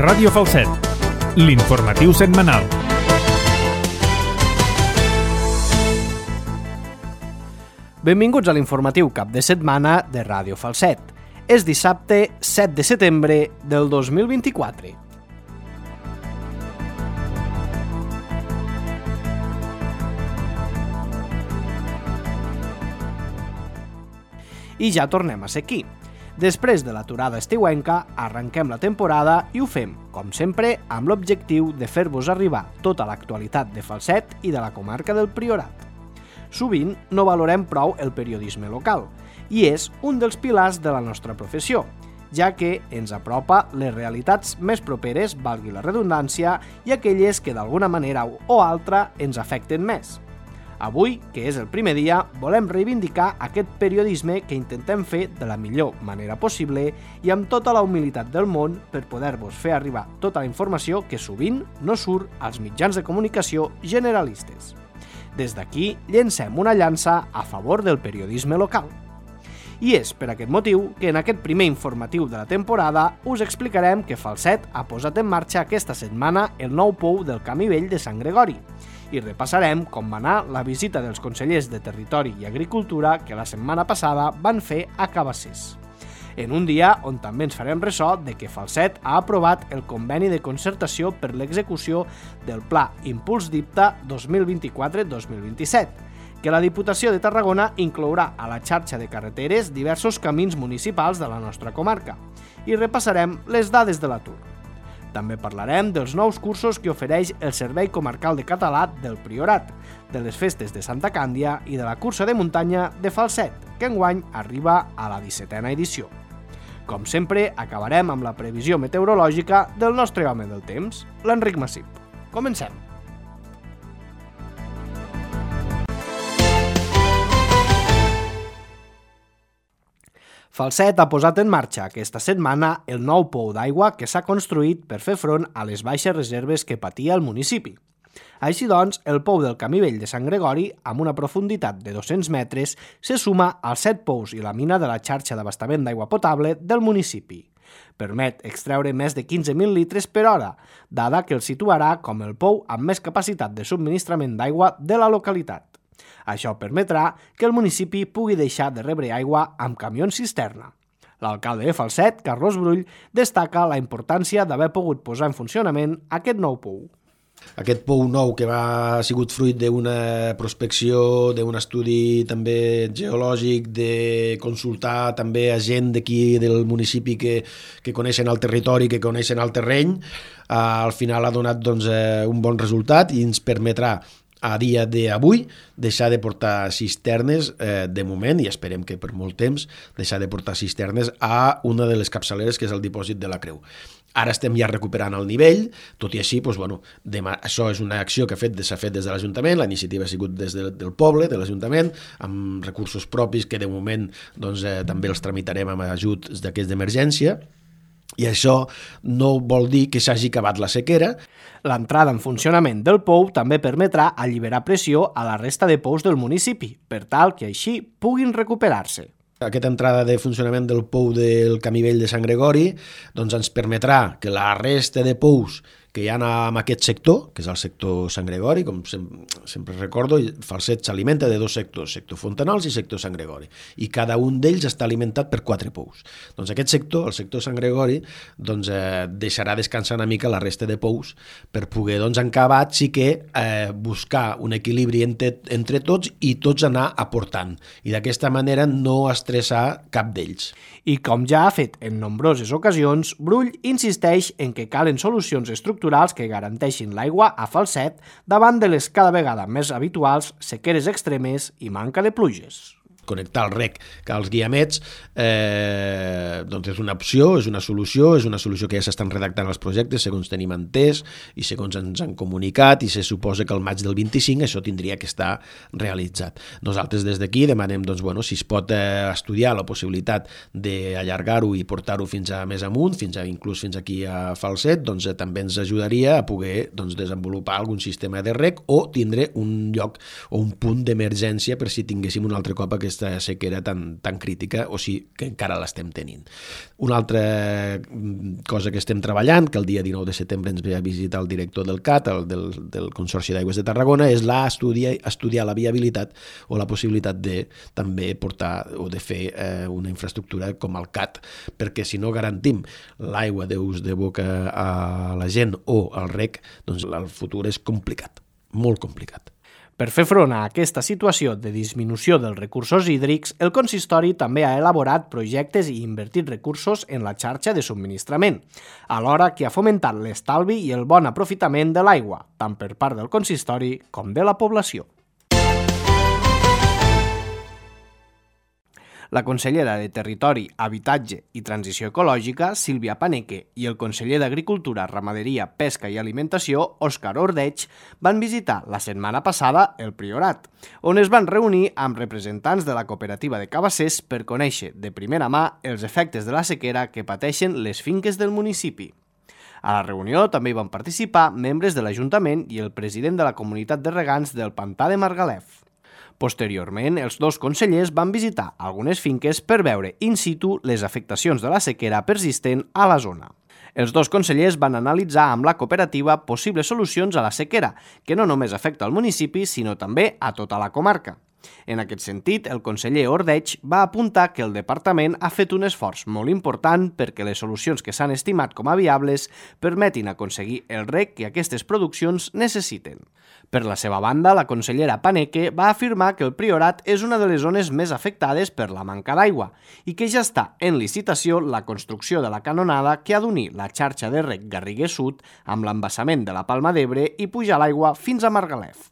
Ràdio Falset, l'informatiu setmanal. Benvinguts a l'informatiu cap de setmana de Ràdio Falset. És dissabte 7 de setembre del 2024. I ja tornem a ser aquí. Després de l'aturada estiuenca, arrenquem la temporada i ho fem, com sempre, amb l'objectiu de fer-vos arribar tota l'actualitat de Falset i de la comarca del Priorat. Sovint no valorem prou el periodisme local, i és un dels pilars de la nostra professió, ja que ens apropa les realitats més properes, valgui la redundància, i aquelles que d'alguna manera o altra ens afecten més. Avui, que és el primer dia, volem reivindicar aquest periodisme que intentem fer de la millor manera possible i amb tota la humilitat del món per poder-vos fer arribar tota la informació que sovint no surt als mitjans de comunicació generalistes. Des d'aquí, llencem una llança a favor del periodisme local. I és per aquest motiu que en aquest primer informatiu de la temporada us explicarem que Falset ha posat en marxa aquesta setmana el nou pou del Camí Vell de Sant Gregori i repassarem com va anar la visita dels consellers de Territori i Agricultura que la setmana passada van fer a Cabassers. En un dia on també ens farem ressò de que Falset ha aprovat el conveni de concertació per l'execució del Pla Impuls d'IPTA 2024-2027, que la Diputació de Tarragona inclourà a la xarxa de carreteres diversos camins municipals de la nostra comarca, i repassarem les dades de l'atur. També parlarem dels nous cursos que ofereix el Servei Comarcal de Català del Priorat, de les festes de Santa Càndia i de la cursa de muntanya de Falset, que enguany arriba a la 17a edició. Com sempre, acabarem amb la previsió meteorològica del nostre home del temps, l'Enric Massip. Comencem! Falset ha posat en marxa aquesta setmana el nou pou d'aigua que s'ha construït per fer front a les baixes reserves que patia el municipi. Així doncs, el pou del Camí Vell de Sant Gregori, amb una profunditat de 200 metres, se suma als 7 pous i la mina de la xarxa d'abastament d'aigua potable del municipi. Permet extreure més de 15.000 litres per hora, dada que el situarà com el pou amb més capacitat de subministrament d'aigua de la localitat. Això permetrà que el municipi pugui deixar de rebre aigua amb camions cisterna. L'alcalde de Falset, Carlos Brull, destaca la importància d'haver pogut posar en funcionament aquest nou pou. Aquest pou nou que ha sigut fruit d'una prospecció, d'un estudi també geològic, de consultar també a gent d'aquí del municipi que coneixen el territori, que coneixen el terreny, al final ha donat un bon resultat i ens permetrà a dia d'avui deixar de portar cisternes de moment, i esperem que per molt temps, deixar de portar cisternes a una de les capçaleres que és el dipòsit de la Creu. Ara estem ja recuperant el nivell, tot i així, això és una acció que s'ha fet des de l'Ajuntament, la iniciativa ha sigut des del poble, de l'Ajuntament, amb recursos propis que de moment també els tramitarem amb ajuts d'aquests d'emergència, i això no vol dir que s'hagi acabat la sequera. L'entrada en funcionament del pou també permetrà alliberar pressió a la resta de pous del municipi, per tal que així puguin recuperar-se. Aquesta entrada de funcionament del pou del Camí Vell de Sant Gregori ens permetrà que la resta de pous que hi ha en aquest sector, que és el sector Sant Gregori, com sempre recordo, Falset s'alimenta de dos sectors, sector Fontanals i sector Sant Gregori, i cada un d'ells està alimentat per 4 pous. Doncs aquest sector, el sector Sant Gregori, deixarà descansar una mica la resta de pous per poder, en acabat, sí que buscar un equilibri entre tots i tots anar aportant, i d'aquesta manera no estressar cap d'ells. I com ja ha fet en nombroses ocasions, Brull insisteix en que calen solucions estructurals que garanteixin l'aigua a Falset davant de les cada vegada més habituals sequeres extremes i manca de pluges. Connectar el rec als guiamets és una opció, és una solució que ja s'estan redactant els projectes segons tenim entès i segons ens han comunicat, i se suposa que al maig del 25 això tindria que estar realitzat. Nosaltres des d'aquí demanem si es pot estudiar la possibilitat d'allargar-ho i portar-ho fins a més amunt, inclús fins aquí a Falset, també ens ajudaria a poder desenvolupar algun sistema de rec o tindre un lloc o un punt d'emergència per si tinguéssim un altre cop aquest aquesta sequera tan crítica, o sigui que encara l'estem tenint. Una altra cosa que estem treballant, que el dia 19 de setembre ens ve a visitar el director del CAT, del Consorci d'Aigües de Tarragona, és estudiar la viabilitat o la possibilitat de també portar o de fer una infraestructura com el CAT, perquè si no garantim l'aigua d'ús de boca a la gent o al rec, doncs el futur és complicat, molt complicat. Per fer front a aquesta situació de disminució dels recursos hídrics, el consistori també ha elaborat projectes i invertit recursos en la xarxa de subministrament, alhora que ha fomentat l'estalvi i el bon aprofitament de l'aigua, tant per part del consistori com de la població. La consellera de Territori, Habitatge i Transició Ecològica, Sílvia Paneque, i el conseller d'Agricultura, Ramaderia, Pesca i Alimentació, Òscar Ordeig, van visitar la setmana passada el Priorat, on es van reunir amb representants de la cooperativa de Cabassers per conèixer de primera mà els efectes de la sequera que pateixen les finques del municipi. A la reunió també hi van participar membres de l'Ajuntament i el president de la comunitat de regants del Pantà de Margalef. Posteriorment, els dos consellers van visitar algunes finques per veure in situ les afectacions de la sequera persistent a la zona. Els dos consellers van analitzar amb la cooperativa possibles solucions a la sequera, que no només afecta al municipi, sinó també a tota la comarca. En aquest sentit, el conseller Ordeig va apuntar que el departament ha fet un esforç molt important perquè les solucions que s'han estimat com a viables permetin aconseguir el rec que aquestes produccions necessiten. Per la seva banda, la consellera Paneque va afirmar que el Priorat és una de les zones més afectades per la manca d'aigua i que ja està en licitació la construcció de la canonada que ha d'unir la xarxa de rec Garriguer Sud amb l'embassament de la Palma d'Ebre i pujar l'aigua fins a Margalef.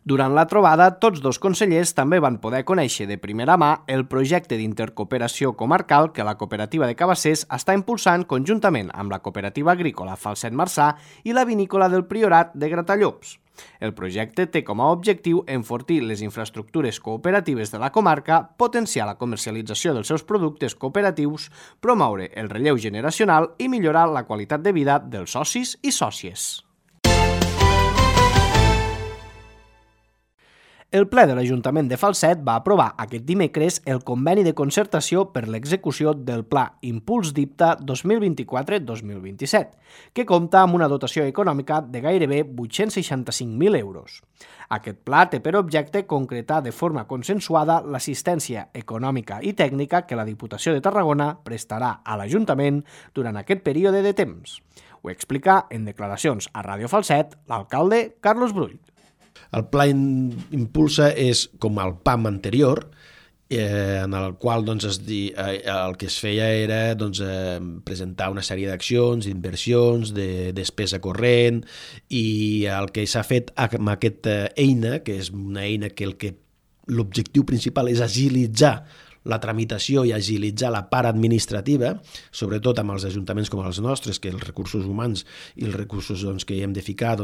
Durant la trobada, tots dos consellers també van poder conèixer de primera mà el projecte d'intercooperació comarcal que la cooperativa de Cabassers està impulsant conjuntament amb la cooperativa agrícola Falset Marçà i la vinícola del Priorat de Gratallops. El projecte té com a objectiu enfortir les infraestructures cooperatives de la comarca, potenciar la comercialització dels seus productes cooperatius, promoure el relleu generacional i millorar la qualitat de vida dels socis i sòcies. El ple de l'Ajuntament de Falset va aprovar aquest dimecres el conveni de concertació per l'execució del Pla Impuls d'IPTA 2024-2027, que compta amb una dotació econòmica de gairebé 865.000 euros. Aquest pla té per objecte concretar de forma consensuada l'assistència econòmica i tècnica que la Diputació de Tarragona prestarà a l'Ajuntament durant aquest període de temps. Ho explica en declaracions a Ràdio Falset l'alcalde Carlos Brull. El Pla Impulsa és com el PAM anterior, en el qual el que es feia era presentar una sèrie d'accions, d'inversions, de despesa corrent, i el que s'ha fet amb aquesta eina, que és una eina que l'objectiu principal és agilitzar la tramitació i agilitzar la part administrativa, sobretot amb els ajuntaments com els nostres, que els recursos humans i els recursos que hi hem de ficar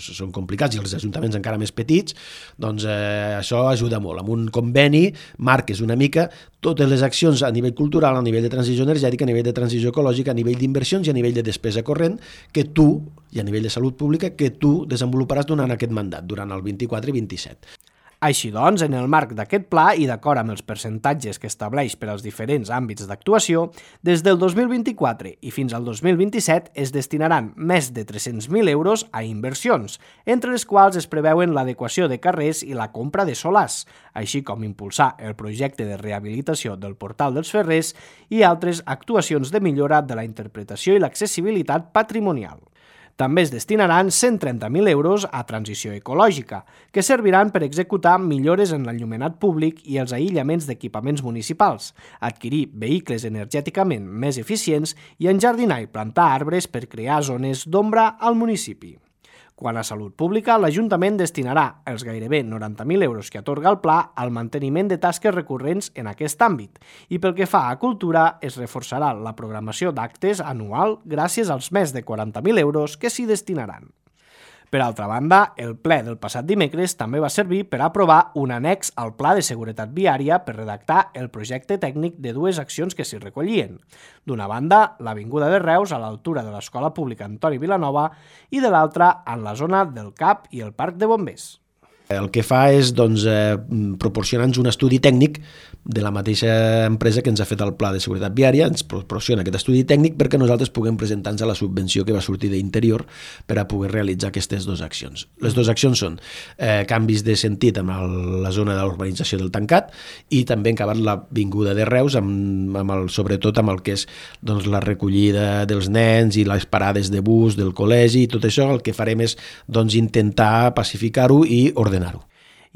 són complicats, i els ajuntaments encara més petits, això ajuda molt. Amb un conveni marques una mica totes les accions a nivell cultural, a nivell de transició energètica, a nivell de transició ecològica, a nivell d'inversions i a nivell de despesa corrent, que tu, i a nivell de salut pública, que tu desenvoluparàs durant aquest mandat, durant el 24 i 27. Així doncs, en el marc d'aquest pla i d'acord amb els percentatges que estableix per als diferents àmbits d'actuació, des del 2024 i fins al 2027 es destinaran més de 300.000 euros a inversions, entre les quals es preveuen l'adequació de carrers i la compra de solars, així com impulsar el projecte de rehabilitació del Portal dels Ferrers i altres actuacions de millora de la interpretació i l'accessibilitat patrimonial. També es destinaran 130.000 euros a transició ecològica, que serviran per executar millores en l'enllumenat públic i els aïllaments d'equipaments municipals, adquirir vehicles energèticament més eficients i enjardinar i plantar arbres per crear zones d'ombra al municipi. Quant a salut pública, l'Ajuntament destinarà els gairebé 90.000 euros que atorga el pla al manteniment de tasques recurrents en aquest àmbit i pel que fa a cultura es reforçarà la programació d'actes anual gràcies als més de 40.000 euros que s'hi destinaran. Per altra banda, el ple del passat dimecres també va servir per aprovar un annex al Pla de Seguretat Viària per redactar el projecte tècnic de dues accions que s'hi recollien. D'una banda, l'Avinguda de Reus a l'altura de l'Escola Pública Antoni Vilanova i de l'altra en la zona del CAP i el Parc de Bombers. El que fa és proporcionar-nos un estudi tècnic de la mateixa empresa que ens ha fet el Pla de Seguretat Viària, ens proporciona aquest estudi tècnic perquè nosaltres puguem presentar-nos a la subvenció que va sortir d'Interior per a poder realitzar aquestes dues accions. Les dues accions són canvis de sentit amb la zona de l'urbanització del Tancat i també acabar l'avinguda de Reus, sobretot amb el que és la recollida dels nens i les parades de bus del col·legi i tot això. El que farem és intentar pacificar-ho i ordenar-ho.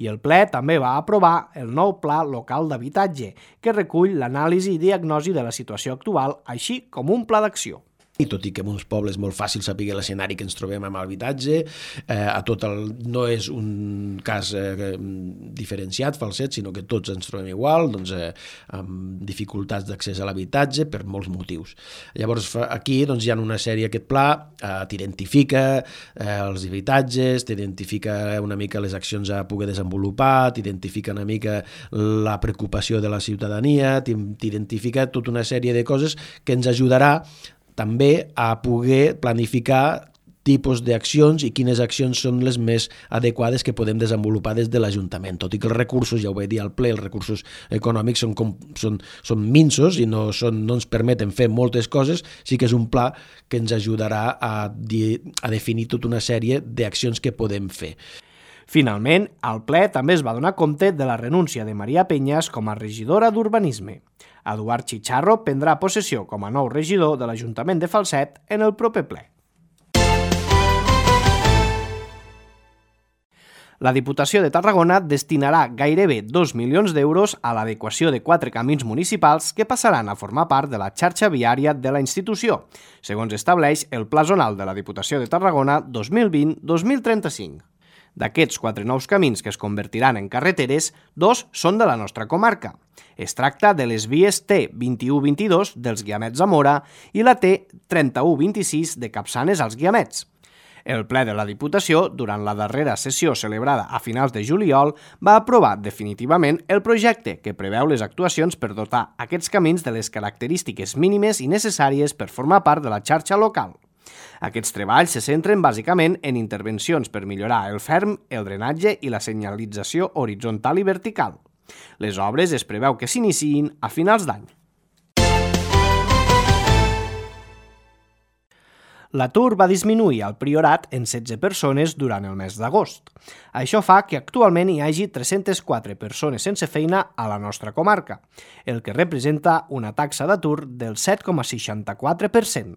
I el ple també va aprovar el nou Pla Local d'Habitatge, que recull l'anàlisi i diagnosi de la situació actual, així com un pla d'acció. I tot i que en uns pobles molt fàcil saber l'escenari que ens trobem amb l'habitatge, no és un cas diferenciat, falset, sinó que tots ens trobem igual, amb dificultats d'accés a l'habitatge per molts motius. Llavors aquí hi ha una sèrie, aquest pla t'identifica els habitatges, t'identifica una mica les accions a poder desenvolupar, t'identifica una mica la preocupació de la ciutadania, t'identifica tota una sèrie de coses que ens ajudarà també a poder planificar tipus d'accions i quines accions són les més adequades que podem desenvolupar des de l'Ajuntament. Tot i que els recursos, ja ho vaig dir al ple, els recursos econòmics són minsos i no ens permeten fer moltes coses, sí que és un pla que ens ajudarà a definir tota una sèrie d'accions que podem fer. Finalment, al ple també es va donar compte de la renúncia de Maria Peñas com a regidora d'Urbanisme. Eduard Chicharro prendrà possessió com a nou regidor de l'Ajuntament de Falset en el proper ple. La Diputació de Tarragona destinarà gairebé 2 milions d'euros a l'adequació de 4 camins municipals que passaran a formar part de la xarxa viària de la institució, segons estableix el Pla Zonal de la Diputació de Tarragona 2020-2035. D'aquests 4 nous camins que es convertiran en carreteres, 2 són de la nostra comarca. Es tracta de les vies T2122 dels Guiamets a Mora i la T3126 de Capçanes als Guiamets. El ple de la Diputació, durant la darrera sessió celebrada a finals de juliol, va aprovar definitivament el projecte que preveu les actuacions per dotar aquests camins de les característiques mínimes i necessàries per formar part de la xarxa local. Aquests treballs se centren bàsicament en intervencions per millorar el ferm, el drenatge i la senyalització horitzontal i vertical. Les obres es preveu que s'iniciïn a finals d'any. L'atur va disminuir al Priorat en 16 persones durant el mes d'agost. Això fa que actualment hi hagi 304 persones sense feina a la nostra comarca, el que representa una taxa d'atur del 7,64%.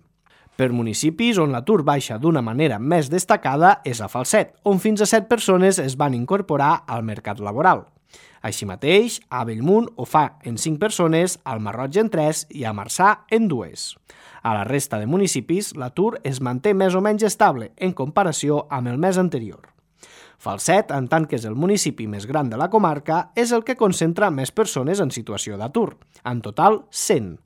Per municipis on l'atur baixa d'una manera més destacada és a Falset, on fins a 7 persones es van incorporar al mercat laboral. Així mateix, a Bellmunt ho fa en 5 persones, al Marroig en 3 i a Marçà en 2. A la resta de municipis, l'atur es manté més o menys estable en comparació amb el mes anterior. Falset, en tant que és el municipi més gran de la comarca, és el que concentra més persones en situació d'atur, en total 100.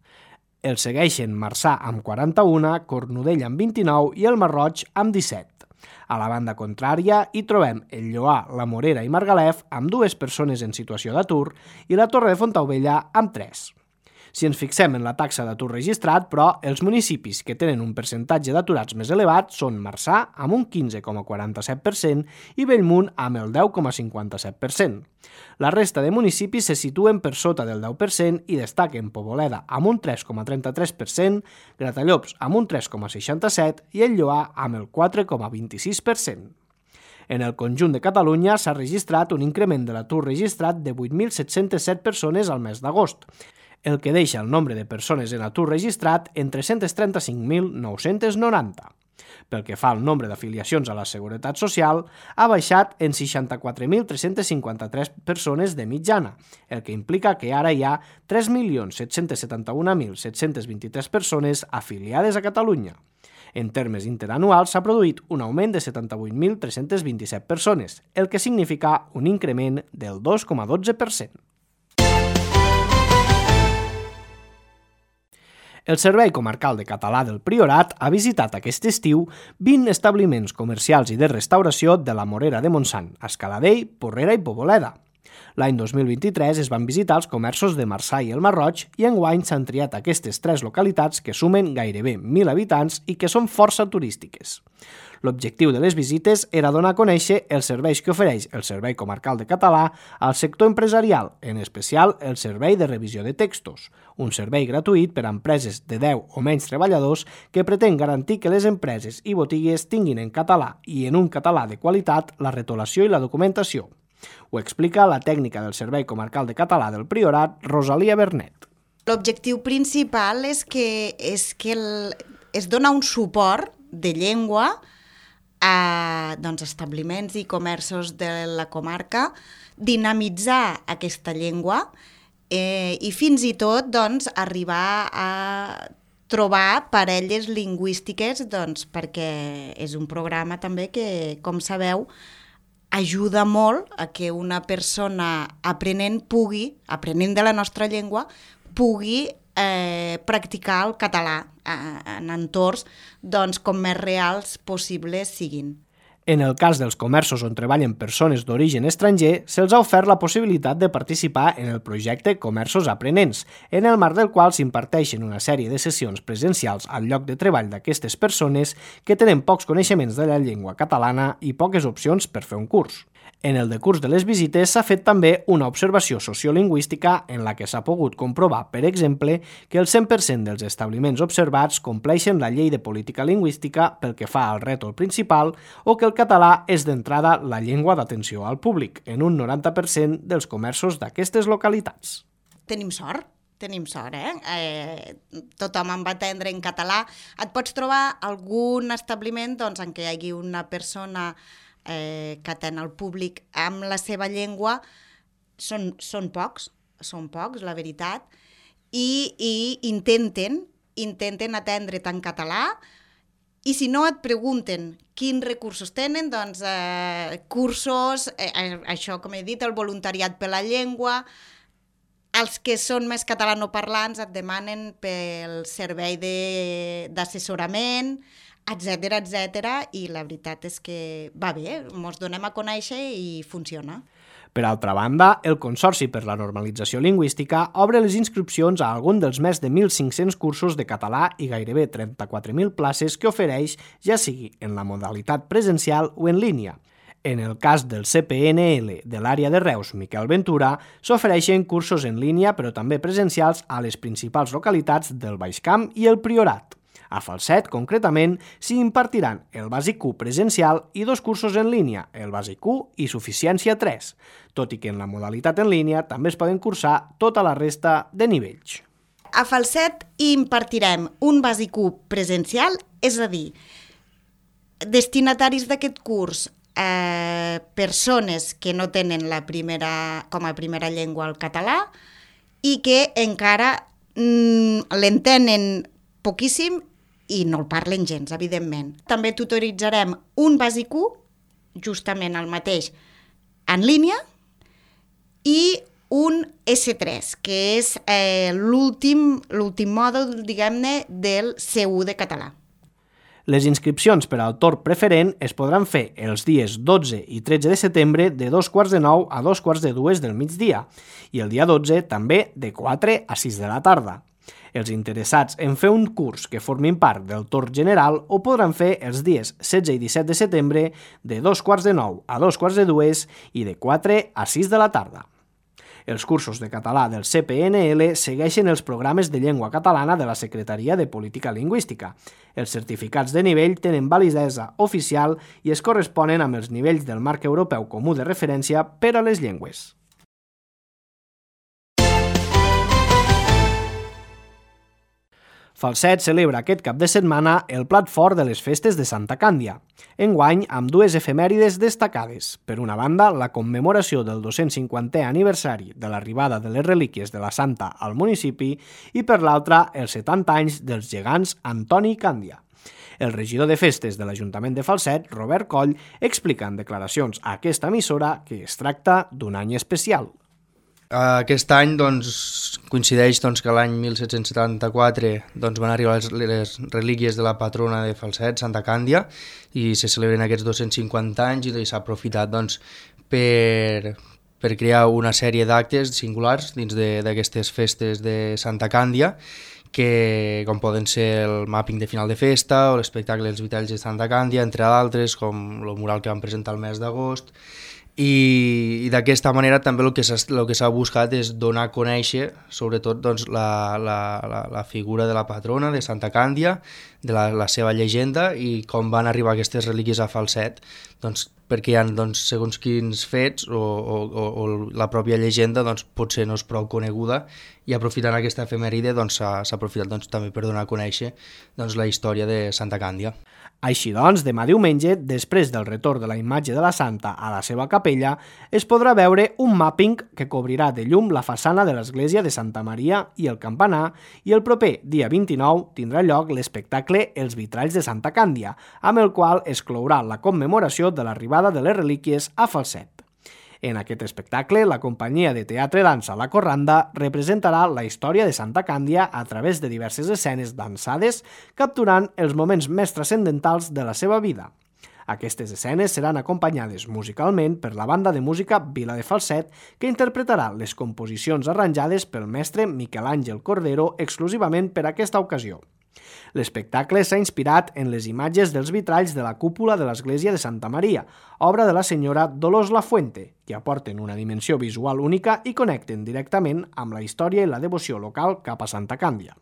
El segueixen Marçà amb 41, Cornudella amb 29 i el Marroig amb 17. A la banda contrària hi trobem el Lloar, la Morera i Margalef amb 2 persones en situació d'atur i la Torre de Fontaubella amb 3. Si ens fixem en la taxa d'atur registrat, però, els municipis que tenen un percentatge d'aturats més elevat són Marçà amb un 15,47% i Bellmunt amb el 10,57%. La resta de municipis se situen per sota del 10% i destaquen Poboleda amb un 3,33%, Gratallops amb un 3,67% i el Lloar amb el 4,26%. En el conjunt de Catalunya s'ha registrat un increment de l'atur registrat de 8.707 persones al mes d'agost, el que deixa el nombre de persones en atur registrat en 335.990. Pel que fa al nombre d'afiliacions a la Seguretat Social, ha baixat en 64.353 persones de mitjana, el que implica que ara hi ha 3.771.723 persones afiliades a Catalunya. En termes interanuals s'ha produït un augment de 78.327 persones, el que significa un increment del 2,12%. El Servei Comarcal de Català del Priorat ha visitat aquest estiu 20 establiments comercials i de restauració de la Morera de Montsant, Escaladell, Porrera i Poboleda. L'any 2023 es van visitar els comerços de Marçà i el Marroig i enguany s'han triat aquestes 3 localitats que sumen gairebé 1.000 habitants i que són força turístiques. L'objectiu de les visites era donar a conèixer els serveis que ofereix el Servei Comarcal de Català al sector empresarial, en especial el servei de revisió de textos, un servei gratuït per a empreses de 10 o menys treballadors que pretén garantir que les empreses i botigues tinguin en català i en un català de qualitat la retolació i la documentació. Ho explica la tècnica del Servei Comarcal de Català del Priorat, Rosalia Bernet. L'objectiu principal és que es dona un suport de llengua a establiments i comerços de la comarca, dinamitzar aquesta llengua i fins i tot arribar a trobar parelles lingüístiques perquè és un programa també que, com sabeu, ajuda molt a que una persona aprenent de la nostra llengua, pugui practicar el català en entorns com més reals possibles siguin. En el cas dels comerços on treballen persones d'origen estranger, se'ls ha ofert la possibilitat de participar en el projecte Comerços Aprenents, en el marc del qual s'imparteixen una sèrie de sessions presencials al lloc de treball d'aquestes persones que tenen pocs coneixements de la llengua catalana i poques opcions per fer un curs. En el decurs de les visites s'ha fet també una observació sociolingüística en la que s'ha pogut comprovar, per exemple, que el 100% dels establiments observats compleixen la llei de política lingüística pel que fa al rètol principal o que el català és d'entrada la llengua d'atenció al públic, en un 90% dels comerços d'aquestes localitats. Tenim sort, tothom em va atendre en català. Et pots trobar algun establiment en què hi hagi una persona que atén al públic amb la seva llengua, són pocs, la veritat, i intenten atendre't en català, i si no et pregunten quins recursos tenen, cursos, això com he dit, el voluntariat per la llengua, els que són més catalanoparlants et demanen pel servei d'assessorament, etcètera, i la veritat és que va bé, ens donem a conèixer i funciona. Per altra banda, el Consorci per la Normalització Lingüística obre les inscripcions a algun dels més de 1.500 cursos de català i gairebé 34.000 places que ofereix, ja sigui en la modalitat presencial o en línia. En el cas del CPNL de l'àrea de Reus, Miquel Ventura, s'ofereixen cursos en línia però també presencials a les principals localitats del Baix Camp i el Priorat. A Falset, concretament, s'hi impartiran el bàsic 1 presencial i 2 cursos en línia, el bàsic 1 i suficiència 3, tot i que en la modalitat en línia també es poden cursar tota la resta de nivells. A Falset hi impartirem un bàsic 1 presencial, és a dir, destinataris d'aquest curs, persones que no tenen com a primera llengua el català i que encara l'entenen poquíssim i no el parlen gens, evidentment. També tutoritzarem un bàsic 1, justament el mateix, en línia, i un S3, que és l'últim mòdul, diguem-ne, del C1 de català. Les inscripcions per al torn preferent es podran fer els dies 12 i 13 de setembre de 2:45 a 2:45 del migdia i el dia 12 també de 4 a 6 de la tarda. Els interessats en fer un curs que formin part del torn general ho podran fer els dies 16 i 17 de setembre de 2:45 a 2:45 i de 4 a 6 de la tarda. Els cursos de català del CPNL segueixen els programes de llengua catalana de la Secretaria de Política Lingüística. Els certificats de nivell tenen validesa oficial i es corresponen amb els nivells del marc europeu comú de referència per a les llengües. Falset celebra aquest cap de setmana el plat fort de les festes de Santa Càndia, enguany amb dues efemèrides destacades. Per una banda, la commemoració del 250è aniversari de l'arribada de les relíquies de la Santa al municipi i per l'altra, els 70 anys dels gegants Antoni i Càndia. El regidor de festes de l'Ajuntament de Falset, Robert Coll, explica en declaracions a aquesta emissora que es tracta d'un any especial. Aquest any coincideix que l'any 1774 van arribar les relíquies de la patrona de Falset, Santa Càndia, i se celebren aquests 250 anys i s'ha aprofitat per per crear una sèrie d'actes singulars dins d'aquestes festes de Santa Càndia, que com poden ser el mapping de final de festa o l'espectacle dels vitalls de Santa Càndia, entre d'altres, com el mural que vam presentar el mes d'agost. I d'aquesta manera també el que s'ha buscat és donar a conèixer sobretot doncs, la figura de la patrona de Santa Càndia, de la seva llegenda i com van arribar aquestes relíquies a Falset, doncs, perquè hi ha doncs, segons quins fets o la pròpia llegenda doncs, potser no és prou coneguda, i aprofitant aquesta efemèride doncs, s'ha aprofitat doncs, també per donar a conèixer doncs, la història de Santa Càndia. Així doncs, demà diumenge, després del retorn de la imatge de la Santa a la seva capella, es podrà veure un mapping que cobrirà de llum la façana de l'església de Santa Maria i el campanar, i el proper dia 29 tindrà lloc l'espectacle Els vitralls de Santa Càndia, amb el qual es clourà la commemoració de l'arribada de les relíquies a Falset. En aquest espectacle, la companyia de teatre dansa La Corranda representarà la història de Santa Càndia a través de diverses escenes dansades, capturant els moments més transcendentals de la seva vida. Aquestes escenes seran acompanyades musicalment per la banda de música Vila de Falset, que interpretarà les composicions arranjades pel mestre Miquel Àngel Cordero exclusivament per aquesta ocasió. L'espectacle s'ha inspirat en les imatges dels vitralls de la cúpula de l'església de Santa Maria, obra de la senyora Dolors Lafuente, que aporten una dimensió visual única i connecten directament amb la història i la devoció local cap a Santa Càndia.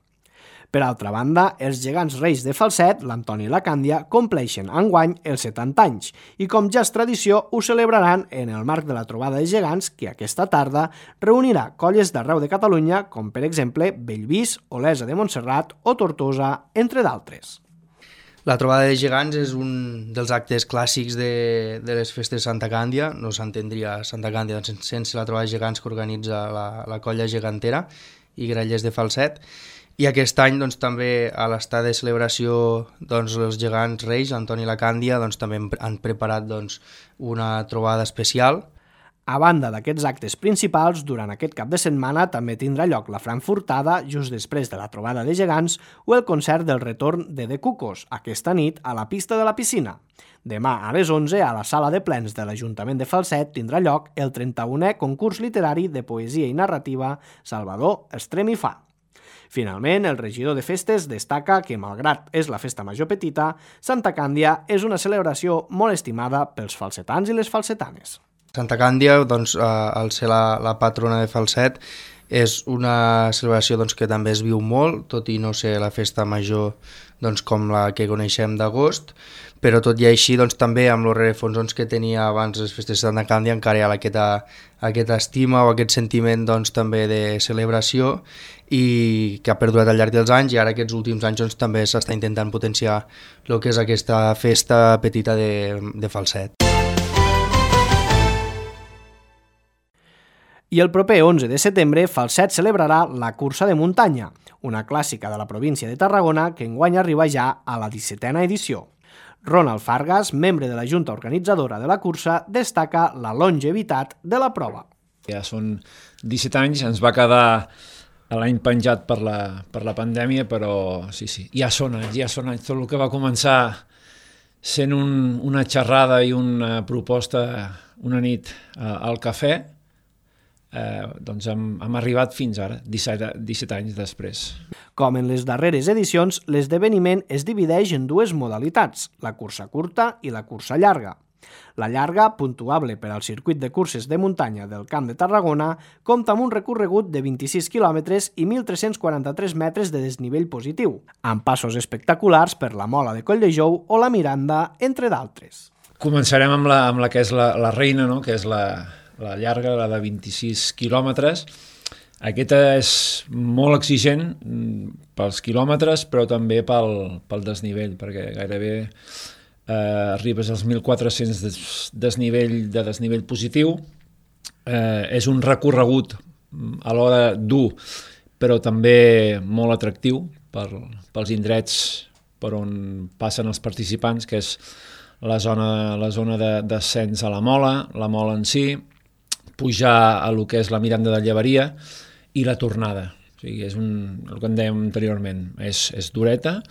Per altra banda, els gegants reis de Falset, l'Antoni i la Càndia, compleixen enguany els 70 anys i, com ja és tradició, ho celebraran en el marc de la trobada de gegants que aquesta tarda reunirà colles d'arreu de Catalunya, com per exemple Bellvís, Olesa de Montserrat o Tortosa, entre d'altres. La trobada de gegants és un dels actes clàssics de les festes de Santa Càndia. No s'entendria Santa Càndia sense la trobada de gegants que organitza la colla gegantera i grallers de Falset. I aquest any doncs, també a l'estat de celebració doncs, els gegants reis, Antoni i la Càndia, doncs, també han preparat doncs, una trobada especial. A banda d'aquests actes principals, durant aquest cap de setmana també tindrà lloc la frankfurtada just després de la trobada de gegants o el concert del retorn de The Cucos, aquesta nit a la pista de la piscina. Demà a les 11, a la sala de plens de l'Ajuntament de Falset, tindrà lloc el 31è concurs literari de poesia i narrativa Salvador Estrem i Fa. Finalment, el regidor de festes destaca que, malgrat és la festa major petita, Santa Càndia és una celebració molt estimada pels falsetans i les falsetanes. Santa Càndia, doncs, al ser la patrona de Falset, és una celebració doncs, que també es viu molt, tot i no ser la festa major doncs, com la que coneixem d'agost, però tot i així doncs, també amb els rerefons que tenia abans les festes de Santa Càndia encara hi ha aquesta estima o aquest sentiment doncs, també de celebració i que ha perdurat al llarg dels anys, i ara aquests últims anys doncs, també s'està intentant potenciar el que és aquesta festa petita de Falset. I el proper 11 de setembre, Falset celebrarà la cursa de muntanya, una clàssica de la província de Tarragona que enguany arriba ja a la 17a edició. Ronald Fargas, membre de la junta organitzadora de la cursa, destaca la longevitat de la prova. Ja són 17 anys, ens va quedar l'any penjat per la pandèmia, però sí, ja són anys. Tot el que va començar sent una xerrada i una proposta una nit al cafè, doncs hem arribat fins ara, 17 anys després. Com en les darreres edicions, l'esdeveniment es divideix en dues modalitats, la cursa curta i la cursa llarga. La llarga, puntuable per al circuit de curses de muntanya del Camp de Tarragona, compta amb un recorregut de 26 quilòmetres i 1.343 metres de desnivell positiu, amb passos espectaculars per la Mola de Colldejou o la Miranda, entre d'altres. Començarem amb la que és la reina, no? Que és la llarga, la de 26 quilòmetres. Aquesta és molt exigent pels quilòmetres, però també pel desnivell, perquè gairebé arribes als 1.400 de desnivell positiu. És un recorregut alhora dur, però també molt atractiu pels indrets per on passen els participants, que és la zona d'ascens a la Mola en si, pujar a lo que és la Miranda de Llevaria i la tornada. O sigui, és el que en dèiem anteriorment, és dureta,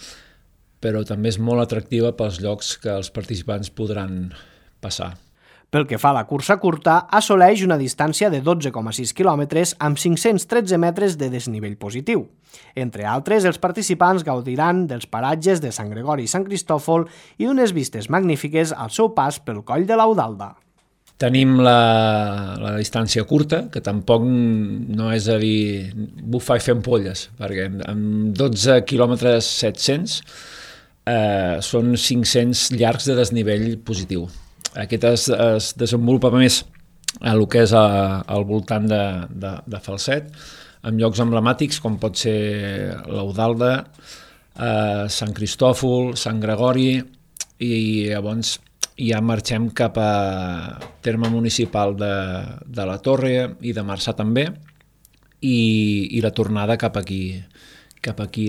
però també és molt atractiva pels llocs que els participants podran passar. Pel que fa a la cursa curta, assoleix una distància de 12,6 quilòmetres amb 513 metres de desnivell positiu. Entre altres, els participants gaudiran dels paratges de Sant Gregori i Sant Cristòfol i d'unes vistes magnífiques al seu pas pel coll de l'Audalda. Tenim la distància curta, que tampoc no és a dir bufar i fer ampolles, perquè amb 12 quilòmetres 700 són 500 llargs de desnivell positiu. Aquest es desenvolupa més a el que és al voltant de Falset, amb llocs emblemàtics com pot ser l'Audalda, Sant Cristòfol, Sant Gregori, i llavors ja marxem cap a terme municipal de la Torre i de Marçà també, i la tornada cap aquí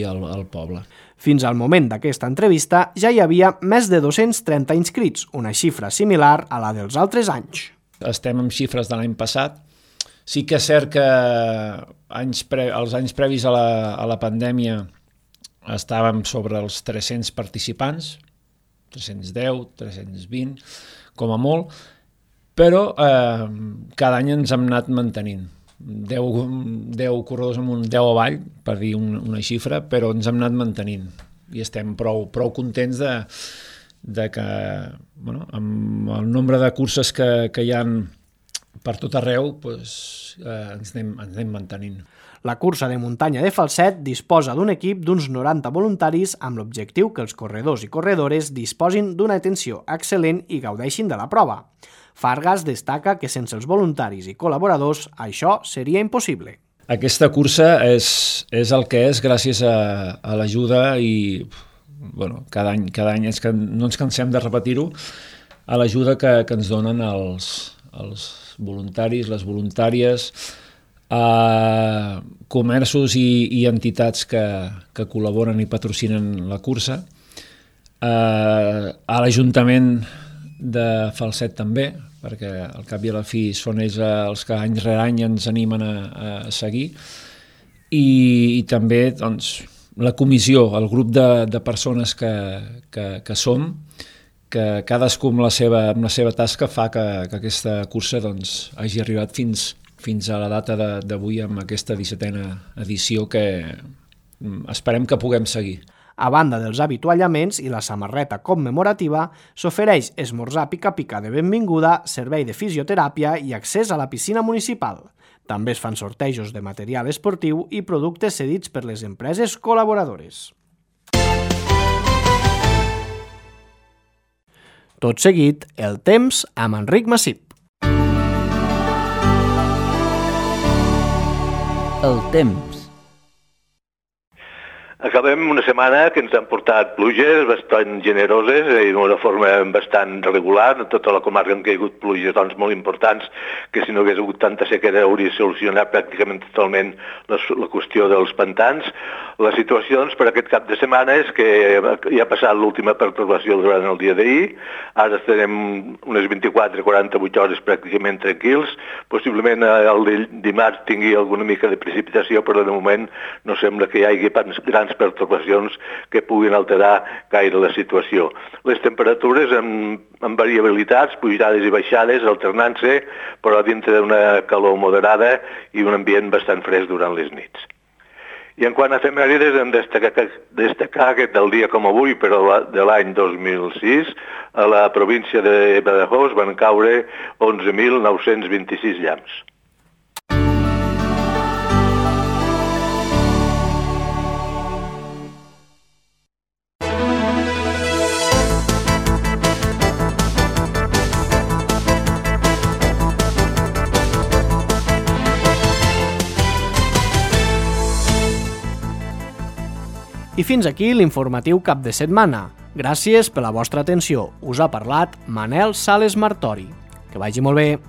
al poble. Fins al moment d'aquesta entrevista ja hi havia més de 230 inscrits, una xifra similar a la dels altres anys. Estem amb xifres de l'any passat. Sí que és cert que els anys previs a la pandèmia estàvem sobre els 300 participants, 310, 320, com a molt, però cada any ens hem anat mantenint. 10 corredors amunt, 10 avall, per dir una xifra, però ens hem anat mantenint i estem prou contents de que, bueno, amb el nombre de curses que hi ha per tot arreu, ens anem mantenint. La cursa de muntanya de Falset disposa d'un equip d'uns 90 voluntaris amb l'objectiu que els corredors i corredores disposin d'una atenció excel·lent i gaudeixin de la prova. Fargas destaca que sense els voluntaris i col·laboradors això seria impossible. Aquesta cursa és el que és gràcies a l'ajuda i bueno, cada any és que no ens cansem de repetir-ho, a l'ajuda que ens donen els voluntaris, les voluntàries, comerços i entitats que col·laboren i patrocinen la cursa, a l'Ajuntament de Falset també, perquè al cap i a la fi són ells els que any rere any ens animen a seguir, i també doncs, la comissió, el grup de persones que som, que cadascú amb la seva tasca fa que aquesta cursa doncs, hagi arribat fins a la data d'avui amb aquesta 17a edició que esperem que puguem seguir. A banda dels avituallaments i la samarreta commemorativa, s'ofereix esmorzar pica-pica de benvinguda, servei de fisioteràpia i accés a la piscina municipal. També es fan sortejos de material esportiu i productes cedits per les empreses col·laboradores. Tot seguit, el temps amb Enric Massip. El temps. Acabem una setmana que ens han portat pluges bastant generoses i d'una forma bastant regular. En tota la comarca han caigut pluges doncs, molt importants, que si no hagués hagut tanta sequera hauria solucionat pràcticament totalment la qüestió dels pantans. La situació doncs, per aquest cap de setmana és que ja ha passat l'última pertorbació durant el dia d'ahir, ara estarem unes 24-48 hores pràcticament tranquils, possiblement el dimarts tingui alguna mica de precipitació, però de moment no sembla que hi hagi grans pertorbacions que puguin alterar gaire la situació. Les temperatures amb variabilitats, pujades i baixades, alternant-se, però dintre d'una calor moderada i un ambient bastant fresc durant les nits. I en quant a efemèrides, hem de destacar que del dia com avui, però de l'any 2006, a la província de Badajoz van caure 11.926 llamps. I fins aquí l'informatiu cap de setmana. Gràcies per la vostra atenció. Us ha parlat Manel Sales Martori. Que vagi molt bé.